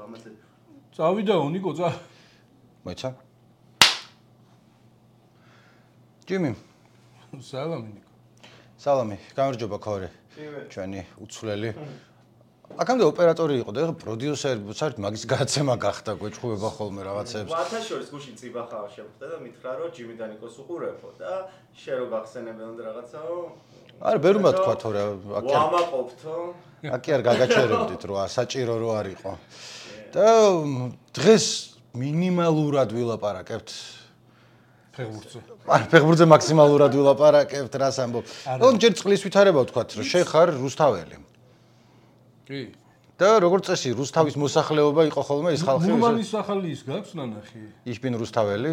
ამაზე. წავიდაო ნიკო, მოიცა? ჯიმი. სალამი ნიკო. სალამი, გამარჯობა ქორი. ჩვენი უცვლელი. აქამდე ოპერატორი იყო და ეხლა პროდიუსერი, საერთოდ მაგის გადაცემა გახდა, გვეჭხუება ხოლმე რაღაცებს. მათაშორის გუშინ წიბახავა შემხდა და მითხრა რომ ჯიმი და ნიკოს უყურებო და შე რო გახსენებენ რაღაცაო. არა, ბერმა თქვა თორე ვამაყობთო. აკი არ გაგაჩერებდით რა, საჭირო რო არისო. და დღეს მინიმალურად ვილაპარაკებთ ფეხბურთზე. არა, ფეხბურთზე მაქსიმალურად ვილაპარაკებთ, რას ამბობ. რომ ჯერ წყლის ვითარება ვთქვათ, რომ შენ ხარ რუსთაველი. კი. და როგორც წესი, რუსთავის მოსახლეობა იყო ხოლმე ის ხალხი. მურმანის სახალი ის გაქვს ნანახი? იშბინ რუსთაველი?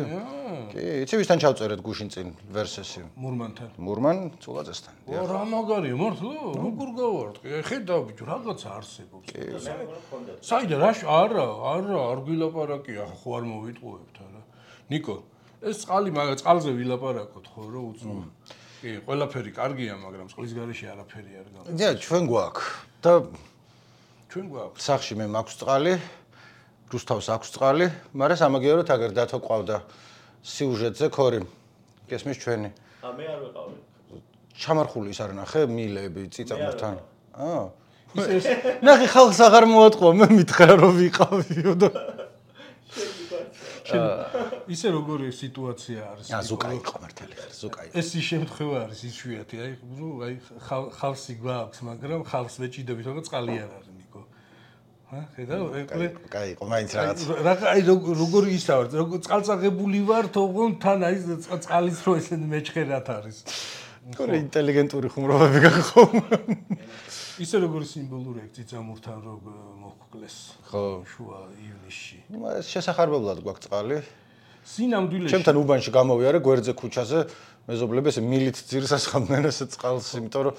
კი, იცი ვისთან ჩავწერეთ გუშინ წინ ვერსესი? მურმანთან. მურმან ცულაძესთან. რა მაგარია, მართლა? როგორ გავარტყი? ხედავ ბიჭო, რაღაცა არსებობს. საიდან არა, არ გვილაპარაკია, ხო არ მოვიტყუებთ არა. ნიკო, ეს წყალი წყალზე ვილაპარაკოთ ხო რა უცნობ. კი, ყველაფერი კარგია, მაგრამ წყლის გარეშე არაფერი არ გაქვს. და ჩვენ გვაქვს. და ჩვენ გვაქვს. სახში მე მაქვს წყალი, რუსთავს აქვს წყალი, მაგრამ სამაგიეროდ აგერ დათო ყავდა სიუჟეტზე ქორი. გესმის ჩვენი. მე არ ვიყავი. ჩამარხული ის არ ნახე, მილები წიწამთან. ნახე ხალხს აღარ მოატყვა, მე მითხრა რომ ვიყავიო და ისე როგორი სიტუაცია არის? ზუკა იყო მართალი ხარ, ზუკა იყო. ეს ის შემთხვევა არის იშვიათი, აი ხალხი გვაქვს, მაგრამ ხალხს ვეჭიდებით, რომ წყალი არ არის ნიკო. ხედავ? კაი იყო, მაინც რაღაც. აი როგორი ისა ვარ, როგორ წყალწაღებული ვარ, თողონ თან აი წყალის რო ესე მეჩხერად არის. თორე ინტელიგენტური ხუმრობები გახომ. ისე როგორი სიმბოლური აქ წიწამურთან რო მოხკლეს. ხო, შუა ივნისში. შესახარბებლად გვაქვს წყალი. სინამდვილეში. ჩემთან უბანში გამოვიარე გვერდზე ქუჩაზე, მეზობლები ესე მილით ძირს ასხამდნენ ესე წყალს, იმიტომ რომ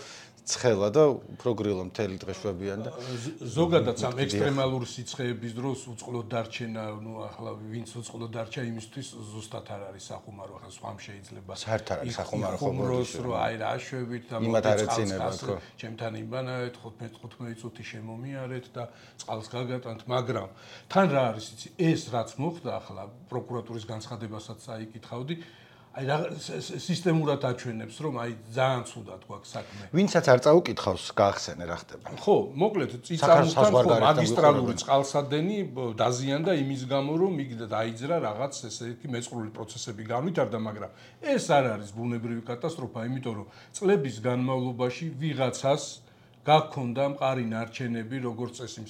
ცხელა და უფრო გრილა მთელი დღე შვებიან და ზოგადად ამ ექსტრემალური სიცხეების დროს უწყლოდ დარჩენა, ნუ ახლა ვინც უწყლოდ დარჩა იმისთვის ზუსტად არ არის სახუმარო, ახლა სხვამ შეიძლება. საერთოდ არ არის სახუმარო ხომროს რო აი რა შვებით და იმათ არ ეცინება ხო. ჩემთან იმბანავეთ 15 წუთი შემომიარეთ და წყალს გაგატანთ, მაგრამ თან რა არის იცი, ეს რაც მოხდა ახლა პროკურატურის განცხადებასაც აიკითხავდი. აი რა სისტემურად აჩვენებს რომ აი ძალიან ცუდად გვაქვს საქმე. ვინცაც არ წაუკითხავს, გაახსენე რა ხდება. ხო, მოკლედ წიწამურთან ხო მაგისტრალური წყალსადენი დაზიანდა იმის გამო რომ იქ დაიძრა რაღაც ესე იგი მეწყრული პროცესები განვითარდა, მაგრამ ეს არ არის ბუნებრივი კატასტროფა, იმიტომ რომ წლების განმავლობაში ვიღაცას გაქონდა მყარი ნარჩენები, როგორც წესი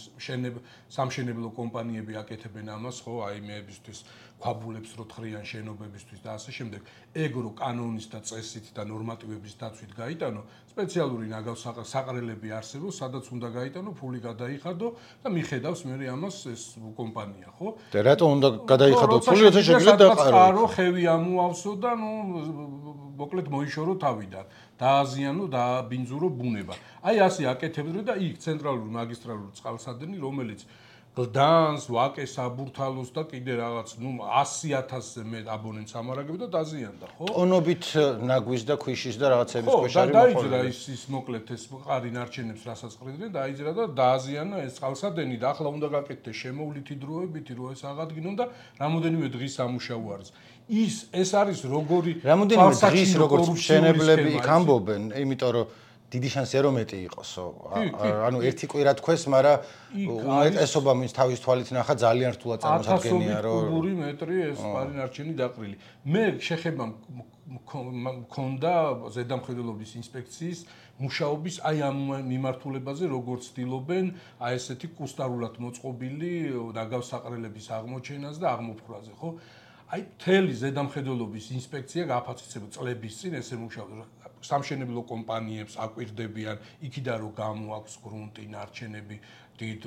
სამშენებლო კომპანიები აკეთებენ ამას, ხო, აი მეებისთვის ქვაბულებს რო თხრიან შენობებისთვის და ასე შემდეგ. ეგ რო კანონის და წესით და ნორმატივების დაცვით გაიტანო, სპეციალური ნაგავსაყრელები არსებობს, სადაც უნდა გაიტანო, ფული გადაიხადო და მიხედავს მე ამას ეს კომპანია, ხო? და რატო უნდა გადაიხადო ფული, როცა შეგიძლია დაყარო, ხევი ამოავსო და ნუ მოკლედ მოიშორო თავიდან. დააზიანო და ბინძურო ბუნება. აი ასე აკეთებდნენ და იქ ცენტრალური მაგისტრალური წყალსადენი, რომელიც გლდანს, ვაკეს, აბურთალოს და კიდე რაღაც, ნუ 100,000-ზე მეტ აბონენტს ამარაგებდა და დაზიანდა, ხო? ტონობით ნაგვის და ქვიშის და რაღაცების ქვეშ ხო, არის დაიძრა ის მოკლედ ეს მყარი ნარჩენებს რასაც ყრიდნენ, დაიძრა და დააზიანა ეს წყალსადენი და ახლა უნდა გაკეთდეს შემოვლითი დროებითი, რომ ეს აღადგინონ და რამოდენიმე დღის სამუშაო არის. ეს არის როგორი რამოდენიმე დღის როგორც მშენებლები იქ ამბობენ, იმიტომ რომ დიდი შანსია რომ მეტი იყოსო. ანუ ერთი კვირა თქვეს, მაგრამ უმეტესობა მის თავის თვალით ნახა ძალიან რთულად წარმოსადგენია რომ 1000 კუბური მეტრი ეს მყარი ნარჩენი დაყრილი. მე შეხება მქონდა ზედამხედველობის ინსპექციის მუშაობის აი ამ მიმართულებაზე, როგორც ცდილობენ აი ესეთი კუსტარულად მოწყობილი ნაგავსაყრელების აღმოჩენას და აღმოფხვრაზე, ხო? აი მთელი ზედამხედველობის ინსპექცია გააფასწრება წლების წინ ესე მუშაობს. სამშენებლო კომპანიებს აკვირდებიან, იქიდან რომ გამოაქვს გრუნტი, ნარჩენები, დიდ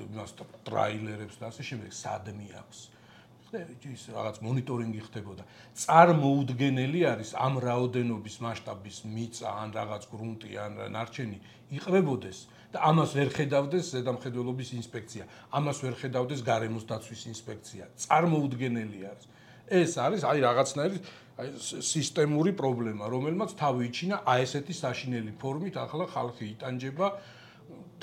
ტრაილერებს და ასე შემდეგ, სადმი აქვს. ის რაღაც მონიტორინგი ხდებოდა. წარმოუდგენელი არის ამ რაოდენობის მასშტაბის მიწა ან რაღაც გრუნტი ან ნარჩენი იყრებოდეს და ამას ვერ ხედავდეს ზედამხედველობის ინსპექცია, ამას ვერ ხედავდეს გარემოს დაცვის ინსპექცია. წარმოუდგენელი არის. ეს არის აი რაღაცნაირი სისტემური პრობლემა, რომელმაც თავი იჩინა აი ესეთი საშინელი ფორმით, ახლა ხალხი იტანჯება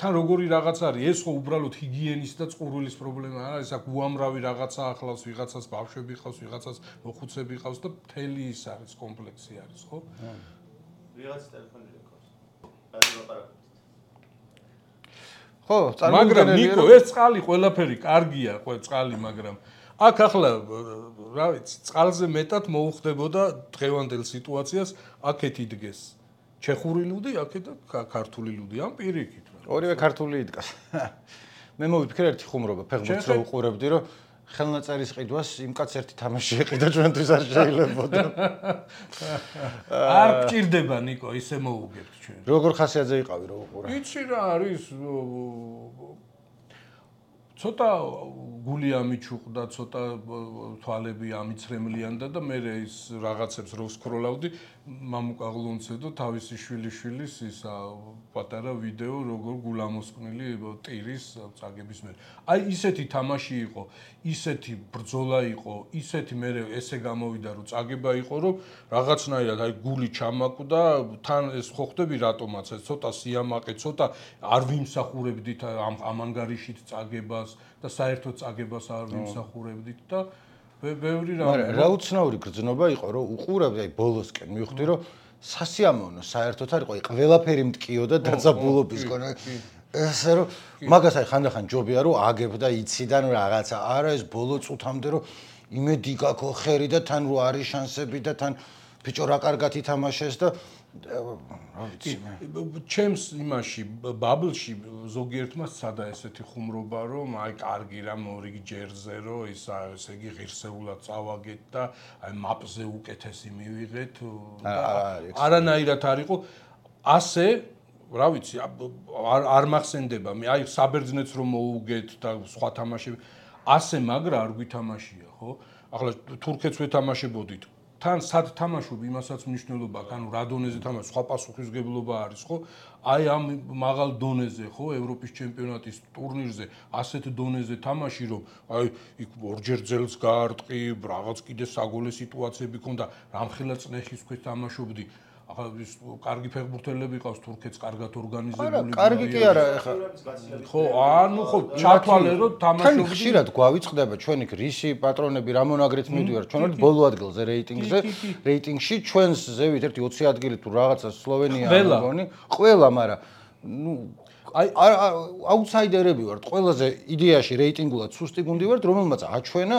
თან როგორი რაღაც არის, ეს ხო უბრალოდ ჰიგიენის და წყურვილის პრობლემა არა, ეს აქ უამრავი რაღაცა ახლავს, ვიღაცას ბავშვები ყავს, ვიღაცას მოხუცები ყავს და მთელი ის არის კომპლექსი არის, ხო? ვიღაც ტელეფონი რეკავს. რაზეც ლაპარაკობთ. ხო, მაგრამ ნიკო, ეს წყალი ყველაფერი კარგია, წყალი, მაგრამ აქ ახლა რა ვიცი, წყალზე მეტად მოუხდებოდა დღევანდელ სიტუაციას, აქეთ იდგეს ჩეხური ლუდი, აქეთ და ქართული ლუდი, ამ პირიქით. ორივე ქართული იდგას. მე მოვიფიქრე ერთი ხუმრობა, ფეხბურთს რო უყურებდი, რომ ხელნაწერის ყიდვას იმ კაც ერთი თამაში ეყიდა ჩვენთვის არ შეიძლებოდა. არ გჭირდება ნიკო, ისე მოუგებთ ჩვენ. როგორ ხასიათზე იყავი რო უყურე? იცი რა არის ცოტა გული ამიჩუყდა, ცოტა თვალები ამიცრემლიანდა და მე ის რაღაცებს რო სკროლავდი, მამუკაღლონცე და თავისი შვილიშვილის ისა პატარა ვიდეო როგორ გულამოსყნილი ტირის წაგების მე. აი ისეთი თამაში იყო, ისეთი ბრძოლა იყო, ისეთი მე ესე გამოვიდა რომ წაგება იყო, რომ რაღაცნაირად აი გული ჩამაკვდა, თან ეს ხო ხდები რატომაც ეს ცოტა სიამაყე, ცოტა არ ვიმსახურებდით ამ ანგარიშით წაგებას და საერთოდ წაგებას არ ვიმსახურებდით და ბევრი რა. მაგრამ რა უცნაური გრძნობა იყო, რომ უყურავდი აი ბოლოსკენ მივხვდი, რომ სასიამოვნო საერთოდ არ იყო, აი ყველაფერი მткиოდა დაძაბულობის კონა. ესე რომ მაგას აი ხანდახან ჯობია რომ აგებ და იციდან რაღაცა. არა ეს ბოლო წუთამდე რომ იმედი გაქვს ხერი და თან რო არის შანსები და თან ბიჭო რა კარგად ითამაშეს და რა ვიცი მე. ჩემს იმაში ბაბლში ზოგიერთმა სცადა ესეთი ხუმრობა რომ აი კარგი რა მორიგი ჯერზე რომ ესე იგი ღირსეულად წავაგეთ და აი მაპზე უკეთესი მივიღეთ. არანაირად არ იყო ასე რა ვიცი არ მახსენდება მე აი საბერძნეთს რომ მოუგეთ და სხვა თამაშები ასე მაგრა არ გვითამაშია ხო ახლა თურქეთს ვეთამაშებოდით თან სად თამაშობ იმასაც მნიშვნელობა აქვს ანუ რა დონეზე თამაშობ სხვა პასუხისგებლობა არის ხო აი ამ მაღალ დონეზე ხო ევროპის ჩემპიონატის ტურნირზე ასეთ დონეზე თამაში რომ აი იქ ორჯერ ძელს გაარტყი რაღაც კიდე საგოლე სიტუაციები ქონდა რამხელა წნეხის ქვეშ თამაშობდი ახლა ის კარგი ფეხბურთელები ყავს თურქეთს კარგად ორგანიზებული. კარგი კი არა ეხლა. ხო, ანუ ხო ჩათვალე რომ თამაშობდი. თან ხშირად გვავიწყდება ჩვენ იქ რისი პატრონები რა მონაგრით მიდივარ. ჩვენ ვართ ბოლო ადგილზე რეიტინგში ჩვენს ზევით ერთი 20 ადგილი თუ რაღაცა სლოვენია მგონი. ყველა, მაგრამ ნუ აი აუთსაიდერები ვართ. ყველაზე იდეაში რეიტინგულად სუსტი გუნდი ვართ, რომელმაც აჩვენა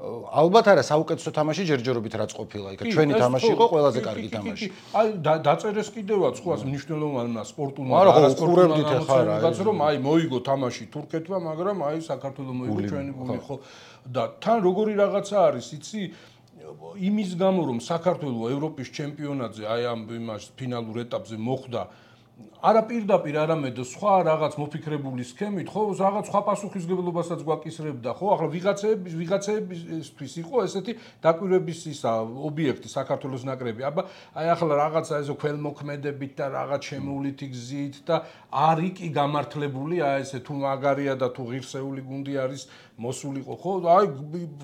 ალბათ არა საუკეთესო თამაში ჯერჯერობით რაც ყოფილა იქ ჩვენი თამაში იყო ყველაზე კარგი თამაში აი დაწერეს კიდევაც ხო ასე მნიშვნელოვანია სპორტულმა არა უყურებდით ახლა რა რომ აი მოიგო თამაში თურქეთმა მაგრამ აი საქართველოს მოიგო ჩვენი გუნდი ხო და თან როგორი რაღაცა არის იცი იმის გამო რომ საქართველოს ევროპის ჩემპიონატზე აი ამ იმას ფინალურ ეტაპზე მოხვდა არა პირდაპირ არამედ სხვა რაღაც მოფიქრებული სქემით ხო რაღაც სხვა პასუხისგებლობასაც გვაკისრებდა ხო ახლა ვიღაცებისთვის იყო ესეთი დაკვირვების ისა ობიექტი საქართველოს ნაკრები აბა აი ახლა რაღაცა ესე ქველმოქმედებით და რაღაც შემოვლითი გზით და არი კი გამართლებული აი ესე თუ მაგარია და თუ ღირსეული გუნდი არის მოსულიყო ხო აი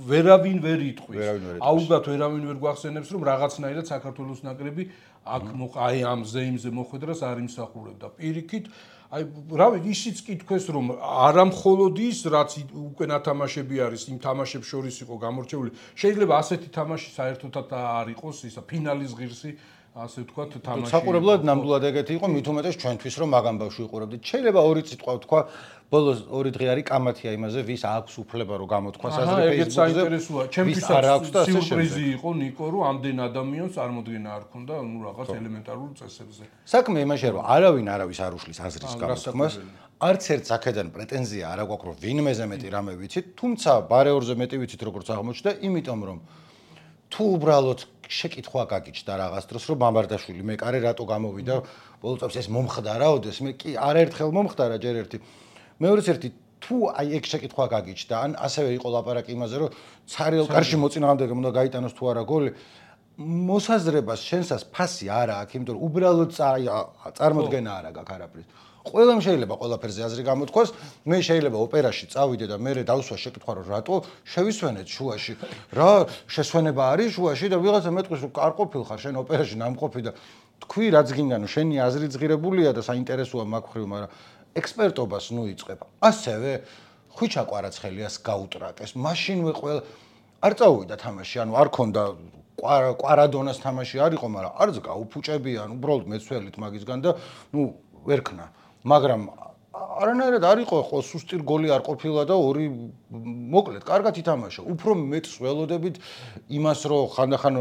ვერავინ ვერ იტყვის აუგათ ვერავინ ვერ გვახსენებს რომ რაღაცნაირად საქართველოს ნაკრები აქ აი ამ ზეიმზე მოხვედრას არ იმსახურებდა. პირიქით, აი რავი, ისიც კითხვეს რომ არა მხოლოდ ის, რაც უკვე ნათამაშები არის, იმ თამაშებს შორის იყო გამორჩეული. შეიძლება ასეთი თამაში საერთოდაც არ იყოს, ისა ფინალის ღირსი ასე ვთქვათ თამაში. საყურებლად ნამდვილად ეგეთი იყო, მით უმეტეს ჩვენთვის რომ მაგამ ბავშვი უყურებდით. შეიძლება ორი სიტყვა ვთქვა, ბოლოს ორი დღე არის კამათია იმაზე, ვის აქვს უფლება რომ გამოთქვას აზრი Facebook-ზე. ჩემთვისაც სიურპრიზი იყო ნიკო, რომ ამდენ ადამიანს წარმოდგენა არ ქონდა, ну რაღაც ელემენტარულ წესებზე. საქმე იმაშია, რომ არავინ არავის არ უშლის აზრის გამოთქმას. არც ერთ აქედან პრეტენზია არ აქვს, რომ ვინმეზე მეტი რამე ვიცით, თუმცა ბარეორზე მეტი ვიცით როგორც აღმოჩნდა, იმიტომ რომ თუ უბრალოდ შეკითხვა გაგიჩნდა რაღაც დროს რომ მამარდაშვილი მეკარე რატო გამოვიდა ბოლო წელს ეს მომხდარაოდეს მე კი არაერთხელ მომხდარა ჯერ ერთი მეორეც ერთი თუ აი ეგ შეკითხვა გაგიჩნდა ან ასევე იყო ლაპარაკი იმაზე რომ ცარიელ კარში მოწინააღმდეგე უნდა გაიტანოს თუ არა გოლი მოსაზრებას შენსას ფასი არა აქვს იმიტომ რომ უბრალოდ წარმოდგენა არა გაქვს არაფრის ყველამ შეიძლება ყველაფერზე აზრი გამოთქვას მე შეიძლება ოპერაში წავიდე და მე დავსვა შეკითხვა რომ რატო შევისვენეთ შუაში რა შესვენება არის შუაში და ვიღაცა მეტყვის რომ არ ყოფილ ხარ შენ ოპერაში ნამყოფი და თქვი რაც გინდანო შენი აზრი ძღირებულია და საინტერესოა მაგ ხრივ მაგრამ ექსპერტობას ნუ იწყებ. ასევე ხვიჩა კვარაცხელიას გაუტრაკეს. მაშინვე ყველა არ წავიდა თამაში, ანუ არ ქონდა კვარადონას თამაში არ იყო, მაგრამ არც გაუფუჭებიან, უბრალოდ მეცველით მაგისგან და ნუ ვერ ქნა. მაგრამ არანაირად არ იყო ხო სუსტი გოლი არ ყოფილა და ორი მოკლედ კარგად ითამაშა. უფრო მეტს ველოდებით იმას, რომ ხანდახან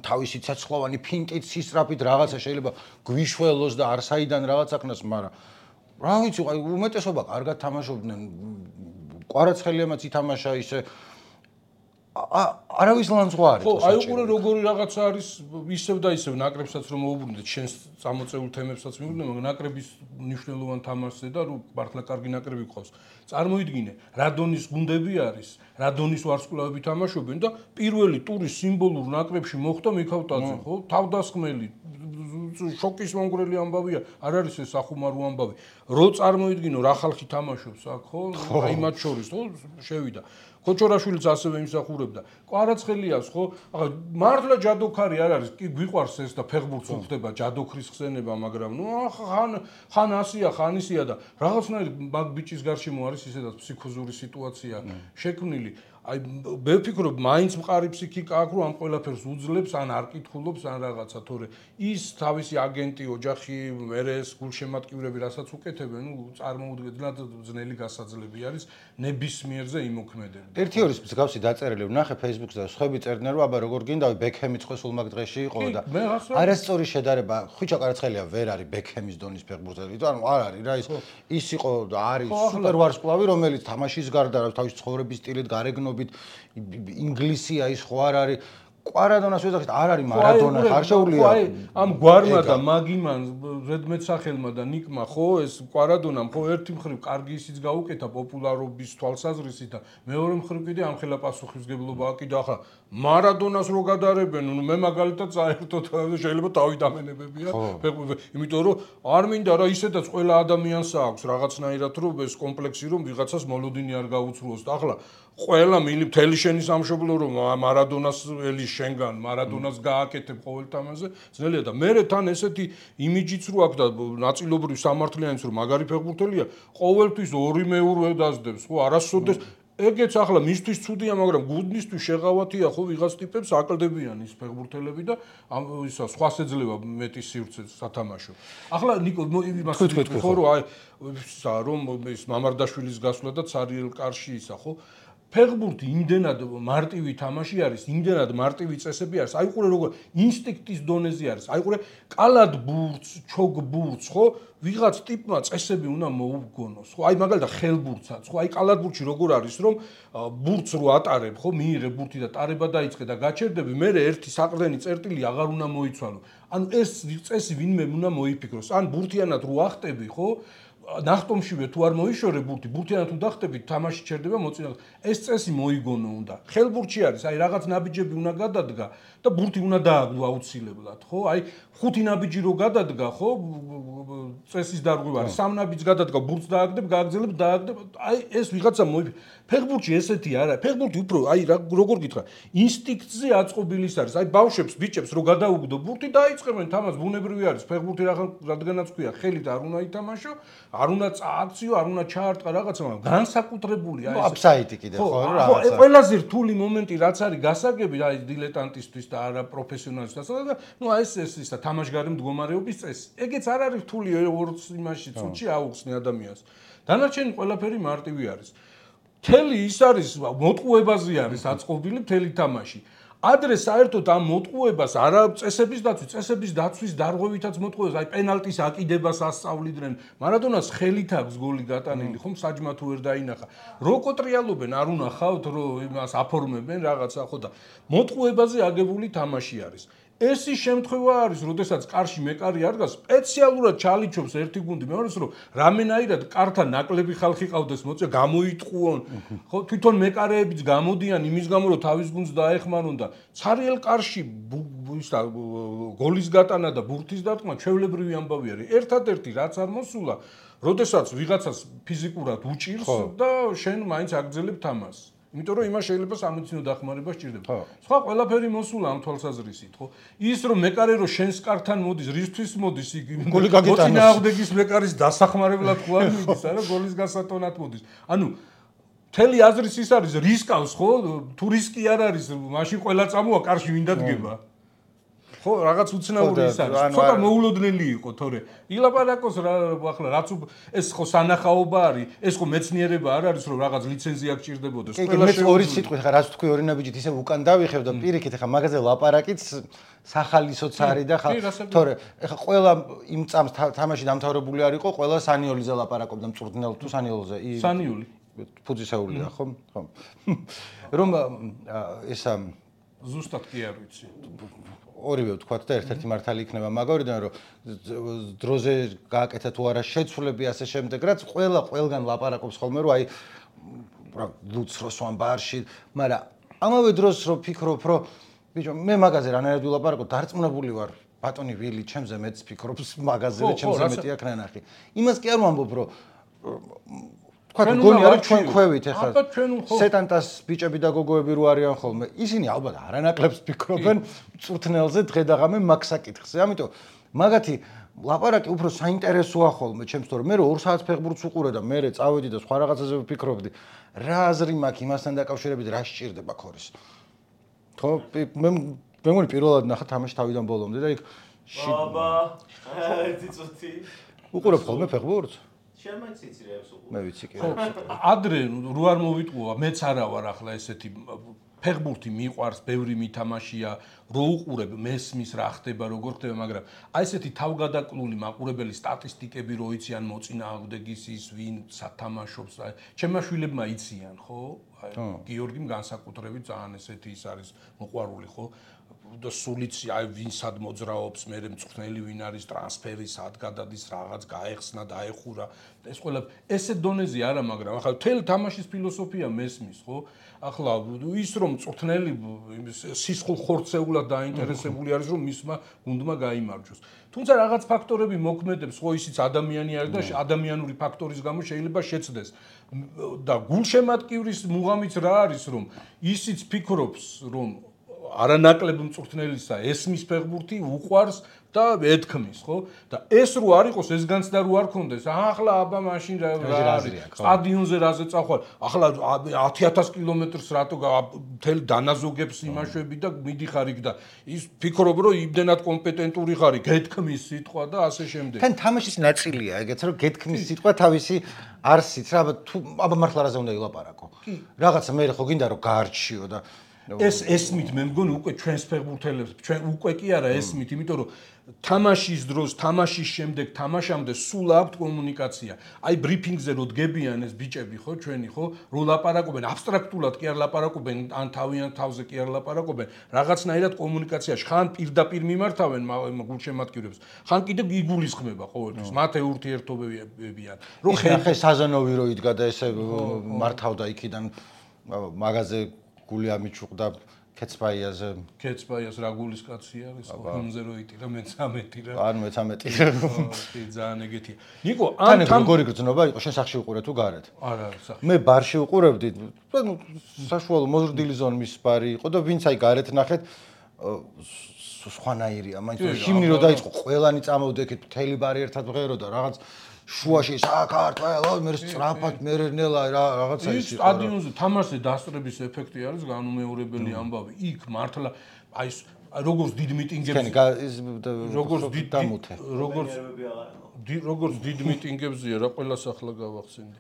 თავისი ცეცხლოვანი ფინტით, სისწრაფით რაღაცა შეიძლება გვიშველოს და არსაიდან რაღაცა ქნას, მაგრამ რა ვიცი, უმეტესობა კარგად თამაშობდნენ. კვარაცხელიამაც ითამაშა ისე არავის ლანძღვარი ხო, აი უყურე როგორი რაღაცა არის ისევ და ისევ ნაკრებსაც რომ მოუბრუნდეთ, შენს წამოწეულ თემებსაც მიუბრუნდეთ, მაგრამ ნაკრების მნიშვნელოვან თამაშზე და რომ მართლა კარგი ნაკრები გყავს. წარმოიდგინე, რა დონის გუნდები არის, რა დონის ვარსკვლავები თამაშობენ და პირველი ტურის სიმბოლურ ნაკრებში მოხვდა მიქავტაძე, ხო? თავდასხმელი შოკის მომგვრელი ამბავია, არ არის ეს ახუმარო ამბავი. რო წარმოიდგინო რა ხალხი თამაშობს აქ, ხო? აი მათ შორის, ხო, შევიდა. ქოჩორაშვილიც ასევე იმსახურებდა. კვარაცხელიას ხო? ახლა მართლა ჯადოქარი არ არის, კი გვიყვარს ეს და ფეხბურთს უხდება ჯადოქრის ხსენება, მაგრამ ნუ ხან ასია, ხან ისია და რაღაცნაირად მაგ ბიჭის გარშემო არის ისედაც ფსიქოზური სიტუაცია შექმნილი. აი მე ვფიქრობ, მაინც მყარი ფსიქიკა აქვს, რომ ამ ყველაფერს უძლებს, ან არ კითხულობს, ან რაღაცა, თორე ის თავისი აგენტი, ოჯახი, მერეს, გულშემატკივრები, რასაც უკეთებენ, ნუ წარმოუდგენლად ძნელი გასაძლები არის ნებისმიერზე იმოქმედება. ერთი ორის მსგავსი დაწერილი ვნახე Facebook-ზე და სხვები წერდნენ, რომ აბა როგორ გინდა ბექჰემი წყვეს ულმაგ დღეში იყო და არასწორი შედარება, ხვიჩა კვარაცხელია ვერ არის ბექჰემის დონის ფეხბურთელი, ანუ არ არის რა ის იყო და არის სუპერ ვარსკვლავი, რომელიც თამაშის გარდა თავის ცხოვრების სტილით გარეგნობით ინგლისია ის ხო არ არის კვარადონას ვეძახით არ არის მარადონა არ შეუძლია აი ამ გვარმა და მაგიმან ზედმეტსახელმა და ნიკმა ხო ეს კვარადონამ ხო ერთი მხრივ კარგი ისიც გაუკეთა პოპულარობის თვალსაზრისით და მეორე მხრივ კიდე ამხელა პასუხისმგებლობა აკიდა ახლა მარადონას რო გადარებენ ნუ მე მაგალითად საერთოდ შეიძლება თავი დამენებებია იმიტომ რომ არ მინდა რა ისედაც ყველა ადამიანს აქვს რაღაცნაირად რომ ეს კომპლექსი რომ ვიღაცას მოლოდინი არ გაუცრუოს და ახლა ყველა მთელი შენი სამშობლო რომ მარადონას ელის შენგან მარადონას გააკეთებ ყოველ თამაშზე ძნელია და მე თან ესეთი იმიჯიც რო აქვს და ნაწილობრივ სამართლიანიც რომ მაგარი ფეხბურთელია ყოველთვის 2 მეურვე დაძდებს ხო არასოდეს ეგეც ახლა მისთვის ცუდია მაგრამ გუნდისთვის შეღავათია ხო ვიღაც ტიპებს აკლდებიან ის ფეხბურთელები და ისა სხვას ეძლევა მეტი სივრცე სათამაშო ახლა ნიკო იმას ხო რომ აი რომ ის მამარდაშვილის გასვლა და ცარიელ კარში ისა ხო ფეხბურთი იმდენად მარტივი თამაში არის, იმდენად მარტივი წესები არის. აი ყურე როგორ ინსტინქტის დონეზე არის. აი ყურე კალად ბურთს, ჩოგ ბურთს, ხო? ვიღაც ტიპმა წესები უნდა მოუგონოს, ხო? აი მაგალითად ხელბურთსაც, ხო? აი კალად ბურთში როგორ არის, რომ ბურთს რო ატარებ, ხო? მიიღე ბურთი და ტარება დაიწყე და გაჩერდები, მე ერთი საყრდენი წერტილი აღარ უნდა მოიცვალო. ანუ ეს წესი ვინმე უნდა მოიფიქროს. ან ბურთიანად რო ახტები, ხო? ნახტომშივე თუ არ მოიშორე ბურთი, ბურთიანად თუ დახტები, თამაში ჩერდება მოწინავ. ეს წესი მოიგონო უნდა. ხელბურთში არის, აი რაღაც ნაბიჯები უნდა გადადგა და ბურთი უნდა დააგდო აუცილებლად, ხო? აი 5 ნაბიჯი რო გადადგა, ხო? წესის დარღვევა არის. 3 ნაბიჯს გადადგა, ბურთს დააგდებ, გააგზელებ, დააგდებ. აი ეს ვიღაცა ფეხბურთში ესეთი არა. ფეხბურთი უფრო აი როგორ გითხრა, ინსტინქტზე აწყობილის არის. აი ბავშვებს, ბიჭებს რო გადაუგდო ბურთი, დაიწყებენ თამაშს, ბუნებრივი არის. ფეხბურთი რადგანაც ქვია, ხელით არ უნდა ითამაშო, არ უნდა წააქციო, არ უნდა ჩაარტყა რაღაცა, მაგრამ განსაკუთრებული აი ეს აფსაიდი კიდე ხო რაღაცა. ხო, ყველაზე რთული მომენტი რაც არის გასაგები აი დილეტანტისთვის და არა პროფესიონალისთვის და ნუ აი ეს ისა თამაშგარი მდგომარეობის წესი. ეგეც არ არის რთული ორ იმაში წუთში აუხსნი ადამიანს. დანარჩენი ყველაფერი მარტივი არის. მთელი ის არის მოტყუებაზე არის აწყობილი მთელი თამაში. ადრე საერთოდ ამ მოტყუებას არა წესების დაცვის დარღვევითაც მოტყუებას, აი პენალტის აკიდებას ასწავლიდნენ. მარადონას ხელით აქვს გოლი გატანილი, ხომ საჯმა თუ ვერ დაინახა. რო კოტრიალობენ, არ უნახავთ, რო იმას აფორმებენ რაღაცა ხო და მოტყუებაზე აგებული თამაში არის. ეს ის შემთხვევა არის, როდესაც კარში მეკარი არ დგას, სპეციალურად ჩალიჩობს ერთი გუნდი, მეორეს რომ რამენაირად კართან ნაკლები ხალხი ყავდეს, მოწე გამოიტყუონ. ხო, თვითონ მეკარეებიც გამოდიან იმის გამო, რომ თავის გუნდს დაეხმარონ და ცარიელ კარში ისა გოლის გატანა და ბურთის დარტყმა ჩვეულებრივი ამბავი არის. ერთადერთი რაც არ მოსულა, როდესაც ვიღაცას ფიზიკურად უჭირს და შენ მაინც აგძელებ თამაშს. იმიტომ რომ იმას შეიძლება სამედიცინო დახმარება სჭირდება. სხვა ყველაფერი მოსულა ამ თვალსაზრისით, ხო? ის რომ მეკარე რო შენს კართან მოდის, რისთვის მოდის იგი? მოწინააღმდეგის მეკარის დასახმარებლად ხო არ მიდის, არა, გოლის გასატონად მოდის. ანუ მთელი აზრის ის არის რისკავს, ხო? თუ რისკი არ არის, მაშინ ყველა წამოა კარში ვინ დადგება. ხო, რაღაც უცნაური ის არის. ცოტა მოულოდნელი იყო, თორე ილაპარაკოს რა ახლა რაც ეს ხო სანახაობა არის, ეს ხო მეცნიერება არ არის, რომ რაღაც ლიცენზია გჭირდებოდეს. ყველა შე ორი სიტყვით ხა რაც თქვი ორი ნაბიჯით ისე უკან დავიხევ და პირიქით ხა მაგაზე ლაპარაკიც სახალისოც არის და ხა თორე ხა ყველა იმ წამს თამაში დამთავრებული არ იყო, ყველა სანიოლიზე ლაპარაკობდა მწვრთნელ თუ სანიოლზე. სანიული. ფუძისეულია, ხო? ხო. რომ ესა ზუსტად კი არ ვიცი. ორივე ვთქვათ და ერთ-ერთი მართალი იქნება მაგორიდან რომ დროზე გააკეთა თუ არა შეცვლები ასე შემდეგ რაც ყველგან ლაპარაკობს ხოლმე რომ აი რა ლუცროს ვამბარში მაგრამ ამავე დროს რომ ფიქრობ რომ ბიჭო მე მაგაზე რანაირად ვილაპარაკო დარწმუნებული ვარ ბატონი ვილი ჩემზე მეც ფიქრობს მაგაზე და ჩემზე მეტი აქ ნანახი იმას კი არ ვამბობ რომ თქვა გონია რომ ჩვენ ხვევით ეხლა სეტანტას ბიჭები და გოგოები რო არიან ხოლმე ისინი ალბათ არანაკლებს ფიქრობენ მწვრთნელზე დღე და ღამე მაგ საკითხზე ამიტომ მაგათი ლაპარაკი უფრო საინტერესოა ხოლმე ჩემს თორე მე რო 2 საათს ფეხბურთს უყურე და მე წავედი და სხვა რაღაცაზე ვფიქრობდი რა აზრი მაქვს იმასთან დაკავშირებით რა სჭირდება ქორის ხო მე მგონი პირველად ნახა თამაში თავიდან ბოლომდე და იქ ბაბა ერთი წუთი უყურებ ხოლმე ფეხბურთს შემაიც იცირებს უყურებ მე ვიცი კი ადრე რო არ მოვიტყუა მეც არა ვარ ახლა ესეთი ფეხბურთი მიყვარს ბევრი მითამაშია რო უყურებ მესმის რა ხდება როგორ ხდება მაგრამ აი ესეთი თავგადაკლული მაყურებელი სტატისტიკები რო იციან მოწინააღმდეგის ის ვინ სათამაშობს ჩემმა შვილებმა იციან ხო აი გიორგიმ განსაკუთრებით ძალიან ესეთი ის არის მოყვარული ხო და სულიც აი ვინ სად მოძრაობს მე მწვრთნელი ვინ არის ტრანსფერი სად გადადის რაღაც გაეხსნა დაეხურა ეს ყველა ესე დონეზე არა მაგრამ ახლა მთელი თამაშის ფილოსოფია მესმის ხო ახლა ის რომ მწვრთნელი სისხლ ხორცეულად დაინტერესებული არის რომ მისმა გუნდმა გაიმარჯვოს თუმცა რაღაც ფაქტორები მოქმედებს ხო ისიც ადამიანი არის და ადამიანური ფაქტორის გამო შეიძლება შეცდეს და გულშემატკივრის მუღამიც რა არის რომ ისიც ფიქრობს რომ არანაკლებ მწვრთნელისა ესმის ფეხბურთი უყვარს და ეთქმის ხო და ეს რო არ იყოს ეს განცდა რო არ ქონდეს ახლა აბა მაშინ რა არის სტადიონზე რაზე წახვალ ახლა 10000 კილომეტრს რატო მთელ დანაზოგებს იმაშვები და მიდიხარ იქ და ის ფიქრობ რომ იმდენად კომპეტენტური ხარი გეთქმის სიტყვა და ასე შემდეგ თან თამაშის ნაწილია ეგეც რომ გეთქმის სიტყვა თავისი არსით რა აბა მართლა რაზე უნდა ილაპარაკო რაღაცა მე ხო გინდა რომ გაარჩიო და ეს ესმით მე მგონი უკვე ჩვენს ფეხბურთელებს ჩვენ უკვე კი არა ესმით იმიტომ რომ თამაშის დროს თამაშის შემდეგ თამაშამდე სულ აქვთ კომუნიკაცია აი ბრიფინგზე რო დგებიან ეს ბიჭები ხო ჩვენი ხო რო ლაპარაკობენ აბსტრაქტულად კი არ ლაპარაკობენ ან თავიან თავზე კი არ ლაპარაკობენ რაღაცნაირად კომუნიკაციაში ხან პირდაპირ მიმართავენ გულშემატკივრებს ხან კიდევ იგულისხმება ყოველთვის მათ ურთიერთობებიან რომ ხე საზანოვი რო იდგა და ესე მართავდა იქიდან მაგაზე გული ამიჩუყდა კეცბაიაზე კეცბაიას რა გულის კაცი არის ხომზე რო იტირა მე 13 რა ან მე 13 კი ძალიან ეგეთია ნიკო ან როგორი გრძნობა იყო შენ სახში უყურე თუ გარეთ არა სახში მე ბარში უყურებდი ну საშუალო მოზრდილი ზონის ბარი იყო და ვინც აი გარეთ ნახეთ სხვანაირია მაინც ჰიმნი რო დაიწყო ყველანი წამოვდექით მთელი ბარი ერთად ვღერო და რაღაც შუაში საქართველოს მე სწრაფად მერნელა რაღაცა ის იყო სტადიონზე თამაშზე დასწრების ეფექტი არის განუმეორებელი ამბავი იქ მართლა აი როგორც დიდ მიტინგებზე როგორც დიდ მიტინგებზია რა ყველას ახლა გავახსენდი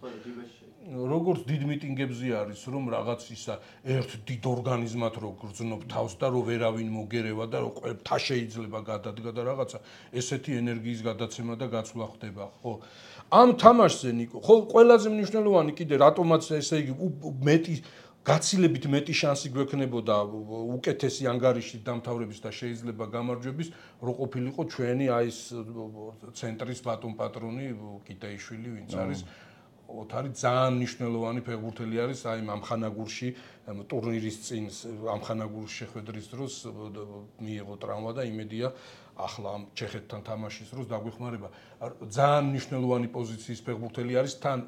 როგორც დიდ მიტინგებზე არის რომ რაღაც ისა ერთ დიდ ორგანიზმად რო გრძნობ თავს და რო ვერავინ მოგერევა და რო ყველთა შეიძლება გადადგა და რაღაცა ესეთი ენერგიის გადაცემა და გაცვლა ხდება ხო ამ თამაშზე ნიკო ხო ყველაზე მნიშვნელოვანი კიდე რატომაც ესე იგი მეტი გაცილებით მეტი შანსი გვექნებოდა უკეთესი ანგარიშით დამთავრების და შეიძლება გამარჯვების რო ყოფილიყო ჩვენი აი ეს ცენტრის ბატონ პატრონი კიტაიშვილი ვინც არის ოთარი ძალიან მნიშვნელოვანი ფეხბურთელი არის აი ამხანაგურში ტურნირის წინ ამხანაგურში შეხვედრის დროს მიიღო ტრავმა და იმედია ახლა ამ ჩეხეთთან თამაშის დროს დაგვეხმარება ძალიან მნიშვნელოვანი პოზიციის ფეხბურთელი არის თან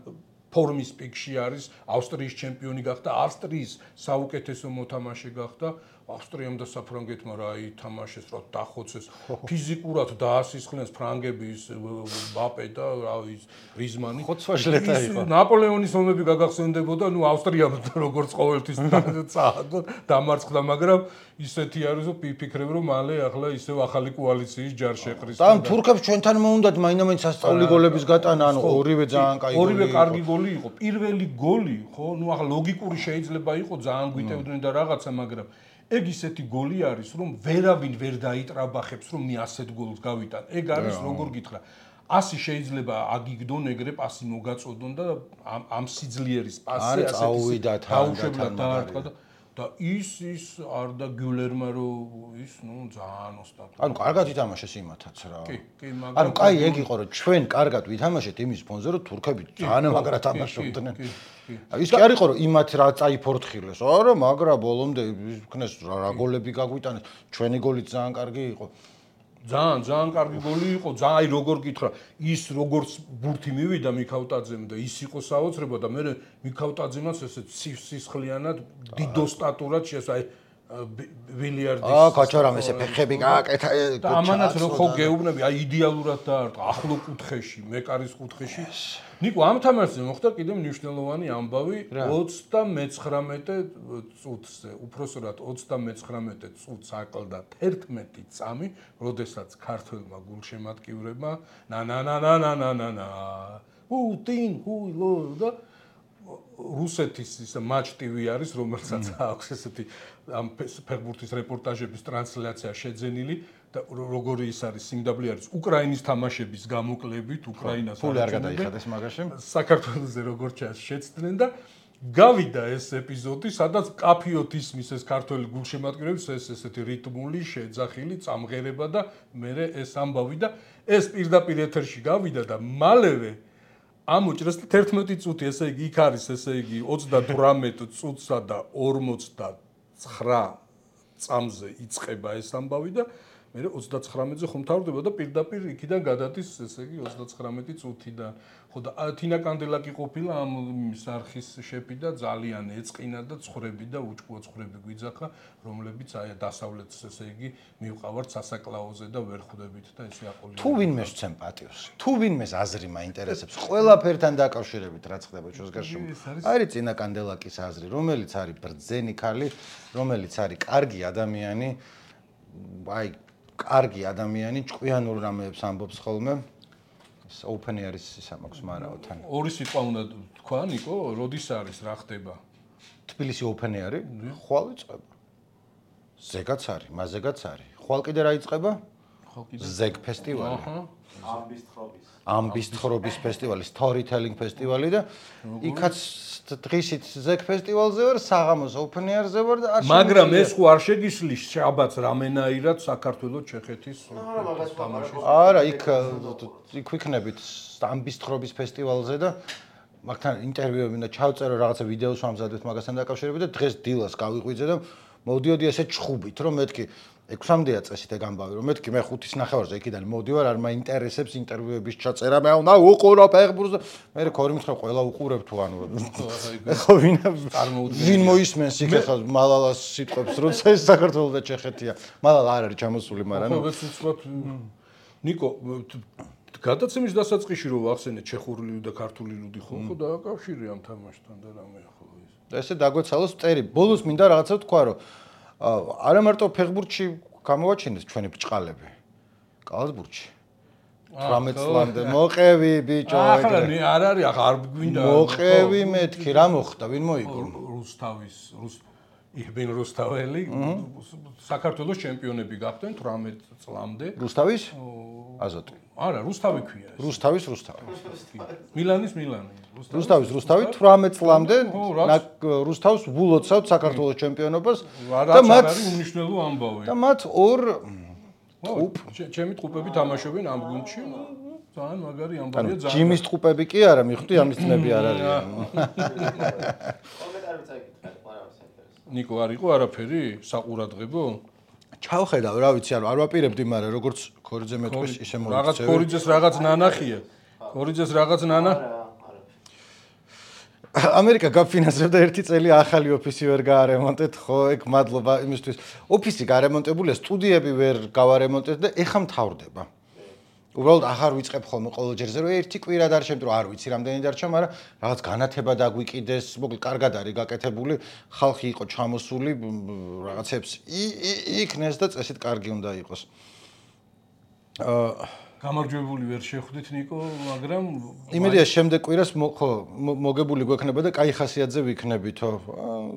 ფორმის პიკში არის, ავსტრიის ჩემპიონი გახდა, ავსტრიის საუკეთესო მოთამაშე გახდა. ავსტრიამ და საფრანგეთმა რა ითამაშეს, რა დახოცეს. ფიზიკურად დაასისხლეს ფრანგების ბაპე და რა ის რიზმანი. ხოცვაშლეტა იყო. ნაპოლეონის ომები გაგახსენდებოდა, ნუ ავსტრიამ როგორც ყოველთვის წააგო დამარცხდა, მაგრამ ისეთი არის, რომ ფიქრებ, რომ მალე ახლა ისევ ახალი კოალიციის ჯარ შეყრის. და თურქებს ჩვენთან მოუნდათ მაინც სასწაული გოლების გატანა, ანუ ორივე ძალიან კაი გოლი. ორივე კარგი გოლი იყო. პირველი გოლი, ხო, ნუ ახლა ლოგიკური შეიძლება იყო, ძალიან გვიტევდნენ და რაღაცა, მაგრამ ეგ ისეთი გოლი არის, რომ ვერავინ ვერ დაიტრაბახებს, რომ მე ასეთ გოლს გავიტან. ეგ არის როგორ გითხრა. ასი შეიძლება აგიგდონ ეგრე პასი მოგაწოდონ და ამ სიძლიერის პასზე ასეთი დაუშვებლად დაარტყა და ის არ და გიულერმა რომ ის ნუ ძალიან ოსტატო. ანუ კარგად ითამაშეს იმათაც რა. კი, მაგრამ ანუ კაი ეგ იყო რომ ჩვენ კარგად ვითამაშეთ იმის ფონზე რომ თურქები ძალიან მაგრა თამაშობდნენ. ის კი არ იყო რომ იმათ რა წაიფორთხილეს. არა, მაგრა ბოლომდე იქნეს რა გოლები გაგვიტანეს. ჩვენი გოლიც ძალიან კარგი იყო. ძალიან კარგი გოლი იყო, ძალიან აი როგორ გითხრა, ის როგორც ბურთი მივიდა მიქავტაძემ და ის იყო საოცრება და მე მიქავტაძემაც ესე სისხლიანად დიდო სტატურად შეესა აი ბილიარდის კაჩორამ ესე ფეხები გააკეთა და ამანაც რო ხო გეუბნები აი იდეალურად დაარტყა ახლო კუთხეში, მეკარის კუთხეში. ნიკო ამ თამაშზე მოხდა კიდევ მნიშვნელოვანი ამბავი 39 წუთზე, უпроსორად 39 წუთს აკლდა 11 წამი, როდესაც ქართველმა გულშემატკივრებმა პუტინ და რუსეთის ის матч TV არის, რომელსაც აქვს ესეთი ამ ფეხბურთის რეპორტაჟების ტრანსლაცია შეძენილი და როგორი ის არის სიმდაბლე არის უკრაინის თამაშების გამოკლებით, უკრაინას ფული არ გადაიხადეს მაგაში. საქართველოზე როგორ ჩანს შეცდნენ და გავიდა ეს ეპიზოდი, სადაც კაფიოთ ისმის ეს ქართველი გულშემატკივრების ესეთი რიტმული, შეძახილი წამღერება და მე ეს ამბავი და ეს პირდაპირ ეთერში გავიდა და მალევე ამოჭრეს 11 წუთი, ესე იგი იქ არის, ესე იგი 38 წუთსა და 49 წამზე იწყება ეს ამბავი და მე 39-ზე ხომ თავდება და პირდაპირ იქიდან გადადის, ესე იგი 39 წუთიდან. ხო და თინა კანდელაკი ყოფილა ამ არხის შეფი და ძალიან ეწყინა და ცხრები და უჭკუო ცხრები გვიძახა, რომლებიც აი დასავლეთს ესე იგი მივყავართ სასაკლაოზე და ვერ ხვდებით და ესე აყოლია. თუ ვინმე შეცემ პატივს, თუ ვინმეს აზრი მაინტერესებს, ყველაფერთან დაკავშირებით რაც ხდება ჩვენს გარშემო. არის წინა კანდელაკის აზრი, რომელიც არის ბრძენი ქალი, რომელიც არის კარგი ადამიანი, აი კარგი ადამიანი, ჭკვიანურ რამეებს ამბობს ხოლმე. Open არის ისა მაქვს მარაო თან. ორი სიტყვა უნდა თქვა, ნიკო, როდის არის, რა ხდება? თბილისი open არის? ხვალ იწყება. ზეგაც არის, მაზეგაც არის. ხვალ კიდე რა იწყება? ზეგ ფესტივალი. ამბის თხრობის ფესტივალი, storytelling ფესტივალი და იქაც დღისით ზეგ ფესტივალზე ვარ, საღამოს open air-ზე ვარ და მაგრამ ეს ხო არ შეგისლის შაბათს რამენაირად საქართველოს ჩეხეთის თამაშის. არა, იქ ვიქნებით ამბის თხრობის ფესტივალზე და მაგთან ინტერვიუები და ჩავწერო რაღაცა ვიდეოს ვამზადეთ მაგასთან დაკავშირებით და დღეს დილას გავიყვიძე და მოდიოდი ესე ჩხუბით, რომ მეთქი 6-მდეა წესით ეგ ამბავი, რომ მეთქი მე 5:30-ზე იქიდან მოდივარ, არ მაინტერესებს ინტერვიუების ჩაწერა, მე უნდა უყურო ფეხბურთს და მე ქორი მითხრა ყველა უყურებ თუ ანუ ხო ვინ მოისმენს იქ ახლა მალალას სიტყვებს, როცა ეს საქართველოს და ჩეხეთია. მალალა არ არის ჩამოსული, მაგრამ ხო ეს უცბად ნიკო გადაცემის დასაწყისში რო ვახსენე ჩეხური და ქართული ლუდი ხო დააკავშირე ამ თამაშთან და რამე ხო ეს. და ესე დაგვეცალოს წერი. ბოლოს მინდა რაღაცა თქვა, რომ არა მარტო ფეხბურთში გამოვაჩინეს ჩვენი ბჭყალები. კალათბურთში. 18 წლამდე მოყევი ბიჭო ეგრე. ახლა არ არის, ახლა არ გვინდა. მოყევი მეთქი, რა მოხდა, ვინ მოიგო? იბენ რუსთაველი საქართველოს ჩემპიონები გახდნენ 18 წლამდე. რუსთავის? აზოტი. არა, რუსთავი ქვია ეს. რუსთავი. მილანის. რუსთავი 18 წლამდე რუსთავს ვულოცავთ საქართველოს ჩემპიონობას და მათ არის უნიშნელო ამბავი. და მათ ორ ჩემი ტყუპები თამაშობენ ამ გუნდში. ძალიან მაგარი ამბავია, ძალიან. ჯიმის ტყუპები კი არა, მიხვდი ამის ძმები არ არიან. კომენტარებიც აიკითხეთ, მაგრამ ნიკო არ იყო არაფერი საყურადღებო? ჩავხედავ, რა ვიცი, არ ვაპირებდი, მაგრამ როგორც ქორიძე მეტყვის ისე რაღაც ქორიძეს რაღაც ნანახია. ქორიძეს რაღაც ნანა ამერიკა გაფინანსებდა ერთი წელი ახალი ოფისი ვერ გაარემონტეთ, ხო, ეგ მადლობა იმისთვის. ოფისი გარემონტებულია, სტუდიები ვერ გავარემონტეთ და ეხა მთავრდება. უბრალოდ ახარ ვიწყებ ხოლმე ყოველ ჯერზე, რომ ერთი კვირა დარჩემთ, რომ არ ვიცი რამდენი დარჩა, მაგრამ რაღაც განათება დაგვიკიდეს, მოკლედ კარგად არის გაკეთებული, ხალხი იყო ჩამოსული, რაღაცებს იქნეს და წესით კარგი უნდა იყოს. გამარჯვებული ვერ შეხვდით ნიკო, მაგრამ იმედია შემდეგ კვირას ხო მოგებული გვექნება და კაი ხასიათზე ვიქნებითო.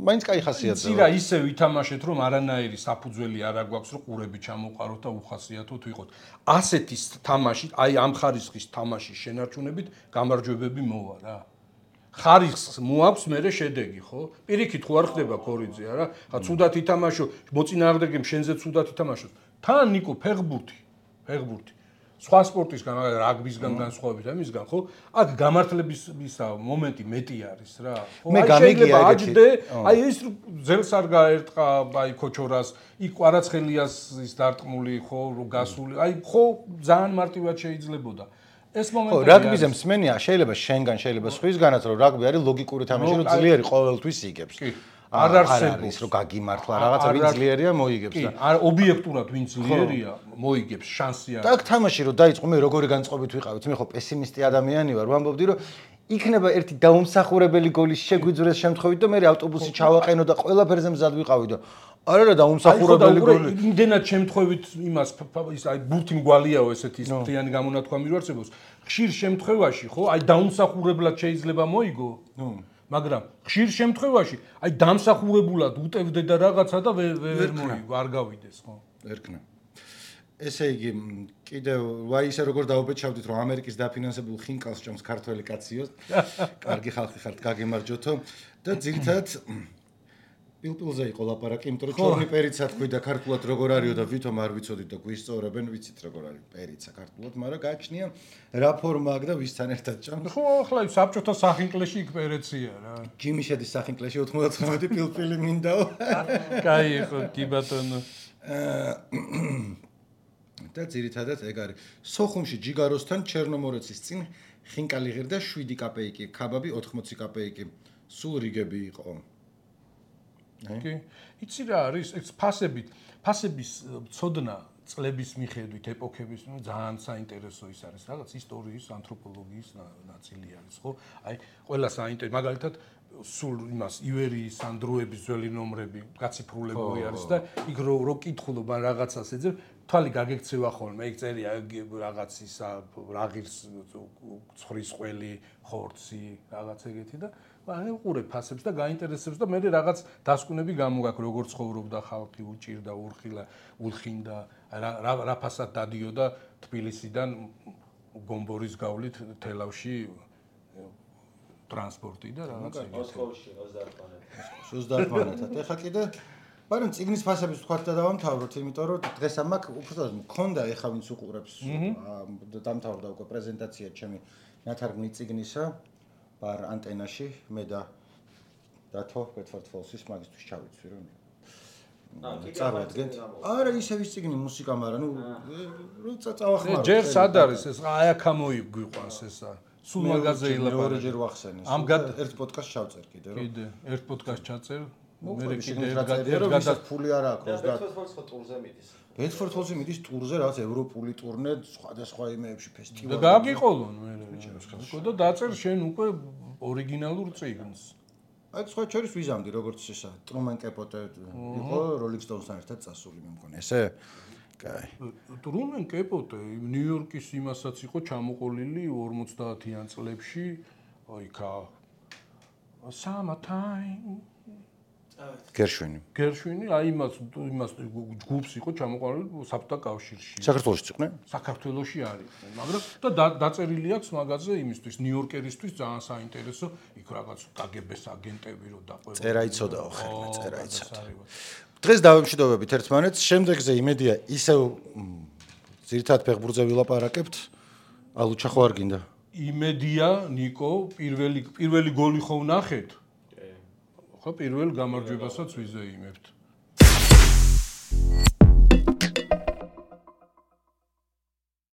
მაინც კაი ხასიათზე. ცირა ისე ვითამაშეთ, რომ არანაირი საფუძველი არ აქვს, რომ ყურები ჩამოყაროთ და უხასიათოთ ვიყოთ. ასეთი თამაში, აი ამ ხარისხის თამაშის შენარჩუნებით გამარჯვებები მოვა რა. ხარისხს მოაქვს მერე შედეგი, ხო? პირიქით ხო არ ხდება კორიძე, არა? ხა ცუდად ითამაშო, მოწინააღმდეგემ შენზე ცუდად ითამაშოს. თან ნიკო ფეხბურთი. სხვა სპორტისგან, რაგბისგან განსხვავებით ამისგან, ხო? აქ გამართლების მომენტი მეტი არის რა. მე გამიგია ეგეთი. აი ეს ძელს არ გაერტყა, აი ქოჩორას, იქ კვარაცხელიას ის დარტყმული, ხო, გასული. აი ხო ძალიან მარტივად შეიძლებოდა. ეს მომენტი ხო, რაგბიზე მსმენია, შეიძლება შენგან, შეიძლება სხვისგანაც, რომ რაგბი არის ლოგიკური თამაში, რომ ძლიერი ყოველთვის იგებს. არ არსებობს რომ გაგიმართლა რაღაცა ვინ ძლიერია მოიგებს და არა ობიექტურად ვინ ძლიერია მოიგებს შანსი არის. და აქ თამაში რომ დაიწყო მე როგორი განწყობით ვიყავით მე ხო პესიმისტი ადამიანი ვარ ვამბობდი რომ იქნება ერთი დაუმსახურებელი გოლი შეგვიძრეს შემთხვევით და მე ავტობუსი ჩავაყენო და ყველაფერზე მზად ვიყავი და არა დაუმსახურებელი გოლი. იმდენად შემთხვევით იმას ის აი ბურთი მგვალიაო ესეთი ის ფრიანი გამონათქვამი რო არსებობს. ხშირ შემთხვევაში ხო აი დაუმსახურებლად შეიძლება მოიგო. მაგრამ ხშირ შემთხვევაში აი დამსახურებულად უტევდე და რაღაცა და ვერ მოიგო, არ გავიდეს, ხო? ერქნა. ესე იგი, კიდევ ვაი ისე როგორ დაუბეჭავდით, რომ ამერიკის დაფინანსებულ ხინკალს ჭამს ქართველი კაციოს. კარგი ხალხი ხართ, გაგემარჯვეთო და ძირითადად პილპილზე იყო ლაპარაკი, იმიტომ რომ ჩორნი პერიცა თქვი და ქართულად როგორ არისო და ვითომ არ ვიცოდით და გვისწორებენ, ვიცით როგორ არის პერიცა ქართულად, მაგრამ გააჩნია რა ფორმა აქვს და ვისთან ერთად ჭამს. ხო, ახლა საბჭოთა სახინკლეში იქ პერეცია რა. ჯიმიშედის სახინკლეში 99 პილპილი მინდაო. კაი იყო, კი ბატონო. და ძირითადად ეგ არის. სოხუმში ჯიგაროსთან ჩერნომორეცის წინ ხინკალი ღირდა 7 კაპეიკი, ქაბაბი 80 კაპეიკი. სულ რიგები იყო. კი. იცი რა არის? ეს ფასების ცოდნა წლების მიხედვით, ეპოქების, ძალიან საინტერესო ის არის. რაღაც ისტორიის, ანთროპოლოგიის ნაწილი არის, ხო? აი, ყველა საინტერესო, მაგალითად, სულ იმას ივერიის ან დროების ძველი ნომრები გაციფრულებული არის და იქ რო კითხულობ ან რაღაცას ეძებ, თვალი გაგექცევა ხოლმე, იქ წერია რაღაც ისა, რაღის ცხრის ყველი, ხორცი, რაღაც ეგეთი და ანუ უყურებ ფასებს და გაინტერესებს და მე რაღაც დასკვნები გამოგაქვს როგორ ცხოვრობდა ხალხი, უჭირდა, ულხინდა, რა ფასად დადიოდა თბილისიდან გომბორის გავლით თელავში ტრანსპორტი და რაღაც ეგეთი. მოსკოვში 30 პანეტად. 30 პანეტად. ეხლა კიდე მაგრამ წიგნის ფასების თქვათ და დავამთავროთ, იმიტომ რომ დღეს ამ აქ უბრალოდ მქონდა ეხლა ვინც უყურებს დამთავრდა უკვე პრეზენტაცია ჩემი ნათარგმნი წიგნისა ბარ ანტენაში მე და დათო ბეთფორდ-ფოლსის მაგისტრის ჩავიცვი რომ წარვადგენთ. არა ისევ ის წიგნი მუსიკა, მაგრამ ნუ რო წავახმარო. ჯერ სად არის ეს? აი აქ მოიგვიყვანს ესა. სულ მაგაზე ილაპარაკე. მეორე ჯერ ვახსენე. ერთ პოდკასტს ჩავწერ კიდე რომ. კიდე ერთ პოდკასტს ჩაწერ. მე კიდე ერთ ფული არა აქვს და ბეთფორდ-ფოლსი ხო ტურზე მიდის. ბეთფორდ-ფოლსი მიდის ტურზე რაღაც ევროპული ტურნე სხვადასხვა იმეებში ფესტივალებში. და გააგიყოლონ მე. და დაწერ შენ უკვე ორიგინალურ წიგნს. აი სხვა შორის ვიზამდი როგორც ესა ტრუმენ კეპოტე იყო როლინგ სტოუნსთან ერთად წასული მე მგონი ესე კაი ტრუმენ კეპოტე ნიუ-იორკის იმასაც იყო ჩამოყოლილი 50-იან წლებში აიქა summertime გერშვინი აი იმას ჯგუფს იყო ჩამოყოლილი საბჭოთა კავშირში საქართველოში იყვნენ საქართველოში არის მაგრამ და დაწერილი აქვს მაგაზე იმისთვის ნიუ-იორკერისთვის ძალიან საინტერესო იქ რაღაც კგბ-ს აგენტები რო დაყვება წერა იცოდაო ხელმა წერა იცოდა დღეს დავემშვიდობებით ერთმანეთს შემდეგზე იმედია ისევ ძირითადად ფეხბურთზე ვილაპარაკებთ ალუჩა ხო არ გინდა იმედია ნიკო პირველი გოლი ხო ვნახეთ ხო პირველ გამარჯვებასაც ვიზეიმებთ